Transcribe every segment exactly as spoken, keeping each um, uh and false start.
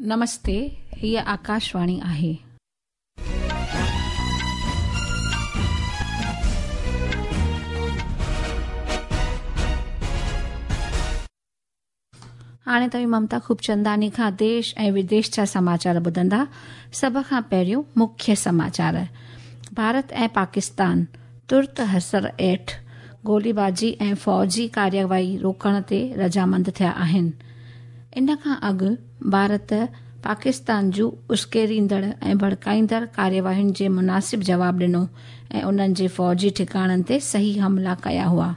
नमस्ते, हीअ आकाशवाणी आहे। हाणे तव्हीं ममता खूबचंदानी खां देश ऐं विदेश जा समाचार ॿुधंदा। सभ खां पहिरियों मुख्य समाचार। भारत ऐं पाकिस्तान तुर्त असर हेठि गोलीबाजी ऐं फौजी कार्यवाही रोकण ते रज़ामंद थिया आहिनि। इन खां अॻु भारत पाकिस्तान जूं उस्केरींदड़ ऐं भड़काईंदड़ कार्यवाहियुनि जे मुनासिब जवाब ॾिनो ऐं उन्हनि जे फौजी ठिकाणनि ते सही हमला कया हुआ।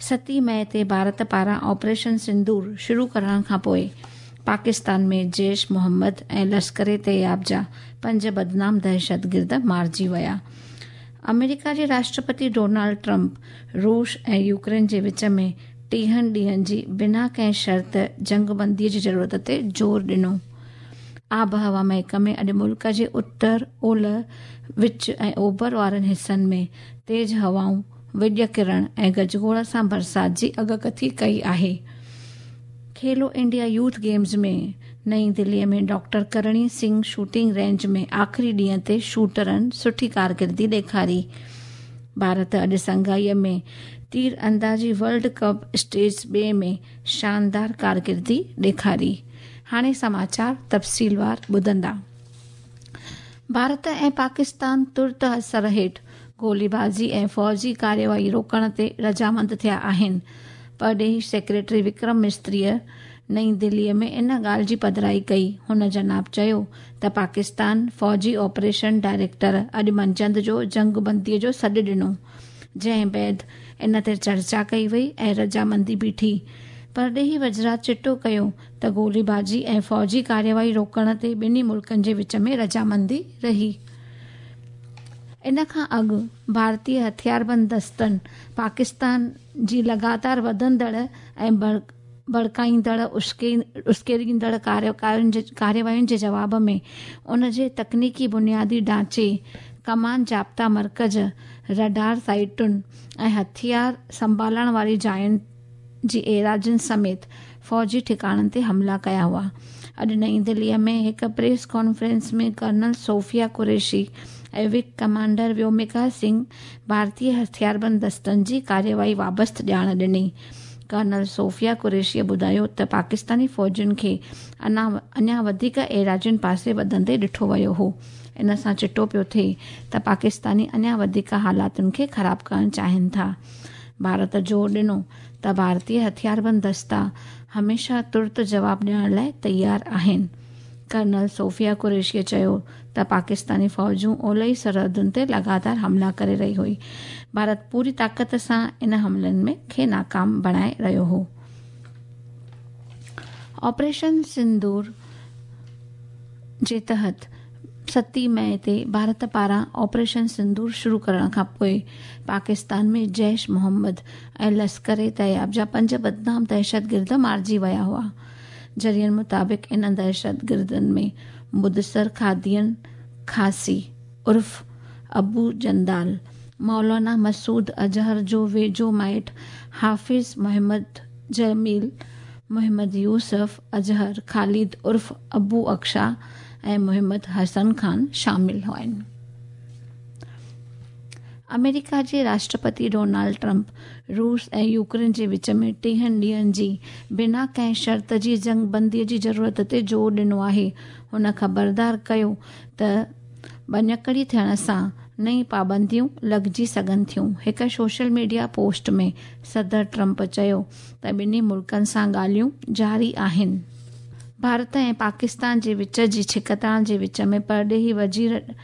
सती मई ते भारत पारां ऑपरेशन सिंदूर शुरू करण खां पोइ पाकिस्तान में जैश मोहम्मद ऐं लश्कर तैयब जा पंज बदनाम दहशतगिर्द मारिजी विया। अमेरिका जे राष्ट्रपति डोनाल्ड ट्रंप रूस ऐं यूक्रेन जे विच में टीहनि ॾींहनि जी बिना कंहिं शर्त जंगबंदीअ जी ज़रूरत ते ज़ोर ॾिनो। आबहवा महकमे अॼु मुल्क जे उत्तर, ओलह, विच ऐं ओभर वारनि हिसनि में तेज़ हवाऊं, विॼ किरण ऐं गजगोड़ सां बरसाति जी अॻकथी कई आहे। खेलो इंडिया यूथ गेम्स में नई दिल्लीअ में doctor Karni Singh shooting range में आख़िरी ॾींहं ते शूटरनि सुठी कारकिर्दी ॾेखारी। भारत अॼु शंघाईअ में तीर अंदाज़ी वर्ल्ड कप स्टेज ॿिए में शानदार कारकिर्दी ॾेखारी। हाणे समाचार तफ़सीलवार ॿुधंदा। भारत ऐं पाकिस्तान तुर्त असर हेठि गोलीबाज़ी ऐं फौजी कार्यवाही रोकण ते रज़ामंद थिया आहिनि। परॾेही सेक्रेटरी विक्रम मिस्त्रीअ नई दिल्लीअ में इन ॻाल्हि जी पधराई कई। हुन जनाब चयो त पाकिस्तान फौजी ऑपरेशन डायरेक्टर अॼु मंझंदि जो जंगबंदीअ जो सॾु ॾिनो, जंहिं बाद इन ते चर्चा कई वई ऐं रज़ामंदी बीठी। परॾेही वज़रात चिटो कयो त गोलीबाज़ी ऐं फौजी कार्यवाही रोकण ते ॿिन्ही मुल्कनि जे विच में रज़ामंदी रही। इन खां अॻु भारतीय हथियारबंद दस्तनि पाकिस्तान जी लगातार वधंदड़ ऐं भड़काईंदड़ उस्केरींदड़ कार्यवाहियुनि जे जवाब में उन जे तकनीकी बुनियादी ढांचे, कमान ज़ाब्ता मर्कज़, रडार साइटुनि ऐं हथियार संभालण वारी जायुनि जी एराज़ियुनि समेत फौजी ठिकाणनि ते हमला कया हुआ। अॼु नई दिल्लीअ में हिकु प्रेस कॉन्फ्रेंस में कर्नल सोफिया कुरैशी ऐं विंग कमांडर व्योमिका सिंह भारतीय हथियारबंद दस्तनि जी कार्यवाही वाबस्त ॼाण ॾिनी। कर्नल सोफिया कुरैशीअ ॿुधायो त पाकिस्तानी फौजियुनि खे अञा अञा वधीक एराज़ियुनि पासे वधंदे ॾिठो वियो हो। इन सां चिटो पियो थिए त पाकिस्तानी अञा वधीक हालातुनि खे ख़राब करणु चाहिनि था। भारत ज़ोर ॾिनो त भारतीय हथियारबंद दस्ता हमेशह तुर्त जवाब ॾियण लाइ तयारु आहिनि। कर्नल सोफिया कुरैशीअ चयो त पाकिस्तानी फौजूं ओलही सरहदुनि ते लगातार हमला करे रही हुई। भारत पूरी ताक़त सां इन हमलनि में खे नाकाम बणाए रहियो हो। ऑपरेशन सिंदूर जे तहत सती मई ते भारत पारां ऑपरेशन सिंदूर शुरू करण खां पोइ पाकिस्तान में जैश मोहम्मद ऐं लश्कर तैयब जा पंज बदनाम दहशतगिर्द मारिजी विया हुआ। ज़रियनि मुताबिक़ इन दहशतगिर्दनि में मुदसर खादियन खासी उर्फ़ अबू जंदाल, मौलाना मसूद अजहर जो वेझो माइट हाफ़िज़ मोहम्मद जमील, मोहम्मद यूसुफ अजहर, ख़ालिद उर्फ़ अबू अक्शा ऐं मोहम्मद हसन खान शामिल आहिनि। अमेरिका जे राष्ट्रपति डोनाल्ड ट्रंप रूस ऐं यूक्रेन जे विच में टीहनि ॾींहनि जी बिना कंहिं शर्त जी जंगबंदीअ जी ज़रूरत ते ज़ोर ॾिनो आहे। हुन ख़बरदार कयो त ॿञकड़ी थियण सां नई पाबंदियूं लॻिजी सघनि थियूं। हिकु सोशल मीडिया पोस्ट में सदर ट्रंप चयो त ॿिन्ही मुल्कनि सां ॻाल्हियूं जारी आहिनि। भारत ऐं पाकिस्तान जे विच जी छिकताण जे विच में परॾेही वज़ीर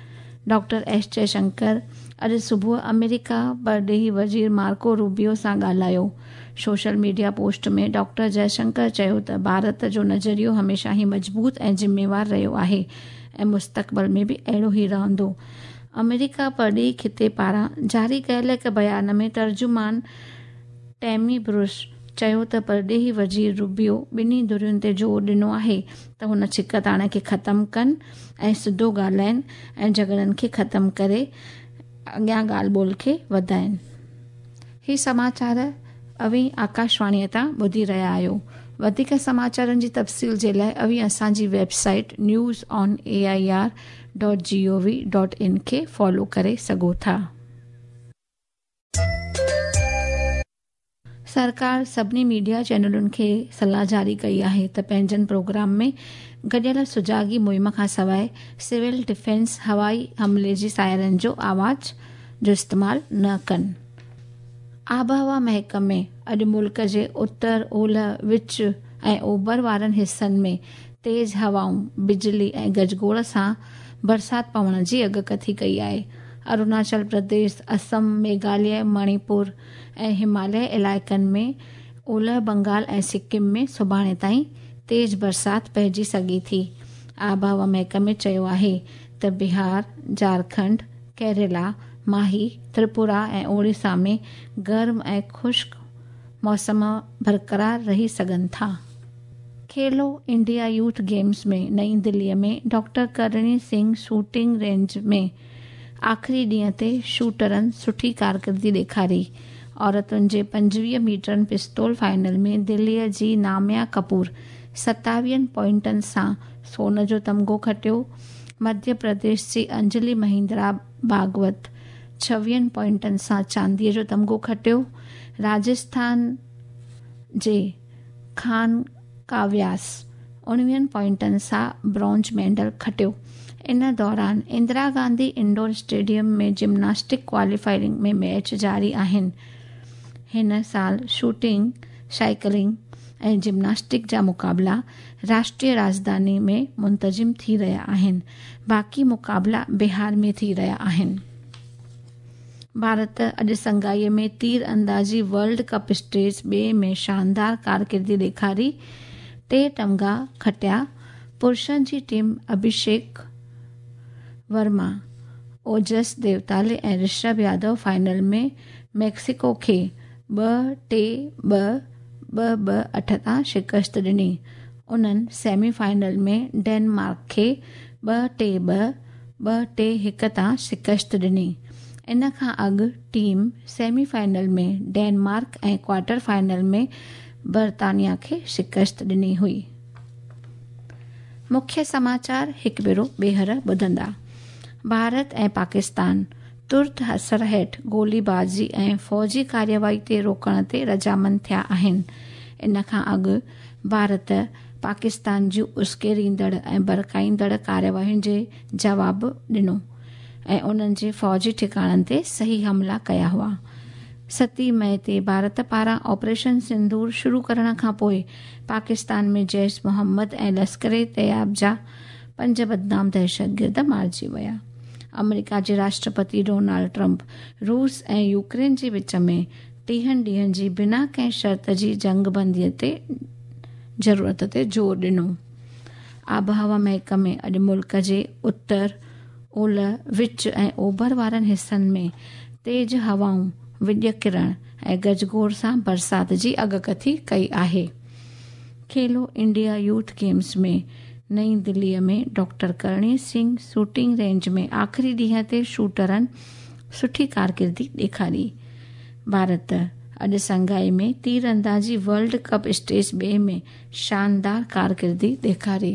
डॉक्टर एस जयशंकर अॼु सुबुह अमेरिका परॾेही वज़ीर मार्को रूबियो सां ॻाल्हायो। सोशल मीडिया पोस्ट में डॉक्टर जयशंकर चयो त भारत जो नज़रियो हमेशह ई मज़बूत ऐं ज़िम्मेवार रहियो आहे ऐं मुस्तक़बिल में बि अहिड़ो ई रहंदो। अमेरिका परॾेही ख़िते पारां जारी कयल हिकु बयान में तर्जुमान टेमी ब्रुस चयो त परॾेही वज़ीर रूबियो ॿिन्ही धुरियुनि ते ज़ोर ॾिनो आहे त हुन छिकताण खे ख़तमु कनि ऐं सिधो ॻाल्हाइनि ऐं झगड़नि खे ख़तमु करे अॻियां ॻाल्हि ॿोल खे वधाइनि। ही समाचार अवीं आकाशवाणीअ तां ॿुधी रहिया आहियो। वधीक समाचारनि जी तफ़सील जे लाइ अव्हीं असांजी website news on A I R dot G O V dot in खे फॉलो करे सघो था। सरकार सभिनी मीडिया चैनलुनि खे सलाह जारी कई आहे त पंहिंजनि प्रोग्राम में गॾियल सुजागी मुहिम खां सवाइ सिविल डिफेंस हवाई हमले जी सायरन जो आवाज़ जो इस्तेमालु न कनि। आबहवा महकमे अॼु मुल्क जे उत्तर, ओलह, विच ऐं ओभर वारनि हिसनि में तेज़ हवाऊं, बिजली ऐं गजगोड़ सां बरसाति पवण जी अॻकथी कई आहे। अरुणाचल प्रदेश, असम, मेघालय, मणिपुर ऐं हिमालय इलाइक़नि में ओलह बंगाल ऐं सिक्किम में सुभाणे ताईं तेज़ बरसाति पइजी सघे थी। आबहवा महकमे चयो आहे त बिहार, झारखंड, केरला, माही, त्रिपुरा ऐं ओडिशा में गर्म ऐं ख़ुश्क मौसम बरक़रार रही सघनि था। खेलो इंडिया यूथ गेम्स में नई दिल्लीअ में doctor Karni Singh shooting range में आख़िरी ॾींहं ते शूटरनि सुठी कारकर्दगी ॾेखारी। औरतुनि जे पंजवीह मीटरनि पिस्तौल फाइनल में दिल्लीअ जी नाम्या कपूर सतावीहनि पॉइंटनि सां सोन जो तमगो खटियो। मध्य प्रदेश जी अंजलि महिंद्रा भागवत छवीहनि पॉइंटनि सां चांदीअ जो तमगो खटियो। राजस्थान जे खान काव्यास उणिवीहनि पॉइंटनि सां ब्रॉन्ज मेडल खटियो। इन दौरान Indira Gandhi indoor stadium में जिम्नास्टिक क्वालिफाइंग में मैच जारी आहिनि। हिन साल शूटिंग, साइकिलिंग ऐं जिम्नास्टिक जा मुक़ाबला राष्ट्रीय राजधानी में मुंतज़िम थी रहिया आहिनि। बाक़ी मुक़ाबला बिहार में थी रहिया आहिनि। भारत अॼु शंघाई में तीर अंदाज़ी वर्ल्ड कप स्टेज ॿिए में शानदार कारकर्दगी ॾेखारी टे तमगा खटिया। पुरुषनि जी टीम अभिषेक वर्मा, ओजस देवताले ऐं ऋषभ यादव फाइनल में मेक्सिको खे ॿ टे ॿ ॿ ॿ अठ तां शिकस्त ॾिनी। उन्हनि सेमी फाइनल में डेनमार्क खे ॿ टे ॿ ॿ टे हिकु तां शिकस्त ॾिनी। इन खां अॻु टीम सेमी फाइनल में डेनमार्क ऐं क्वार्टर फाइनल में बर्तानिया खे शिकस्त ॾिनी हुई। मुख्य समाचार हिकु भेरो ॿीहर ॿुधंदा। भारत ऐं पाकिस्तान तुर्त असर हेठि गोलीबाज़ी ऐं फ़ौजी कार्यवाही ते रोकण ते रज़ामंद थिया आहिनि। इन खां अॻु भारत पाकिस्तान जूं उस्केरींदड़ ऐं भड़काईंदड़ कार्यवाहियुनि जे जवाबु ॾिनो ऐं उन्हनि जे फ़ौजी ठिकाणनि ते सही हमला कया हुआ। सती मई ते भारत पारां ऑपरेशन सिंदूर शुरू करण खां पोइ पाकिस्तान में जैश मोहम्मद ऐं लश्कर तैयबा जा पंज बदनाम दहशतगर्द मारिजी विया। अमेरिका जे राष्ट्रपति डोनाल्ड ट्रंप रूस ऐं यूक्रेन जे विच में टीहनि ॾींहनि जी बिना कंहिं शर्त जी जंगबंदीअ ते ज़रूरत ते ज़ोर ॾिनो। आबहवा महकमे अॼु मुल्क जे उत्तर, ओलह, विच ऐं ओभर वारनि हिसनि में तेज़ हवाऊं, विڄ किरण ऐं गजगोड़ सां बरसाति जी अॻकथी कई आहे। खेलो इंडिया यूथ गेम्स में नई दिल्लीअ में doctor Karni Singh shooting range में आख़िरी ॾींहं ते शूटरनि सुठी कारकर्दगी ॾेखारी। भारत अॼु शंघाई में तीर अंदाज़ी वर्ल्ड कप स्टेज ॿिए में शानदार कारकर्दगी ॾेखारी।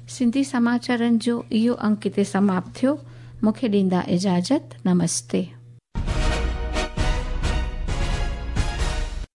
सिंधी समाचारनि जो इहो अंक हिते समाप्त थियो। मूंखे ॾींदा इजाज़त। नमस्ते।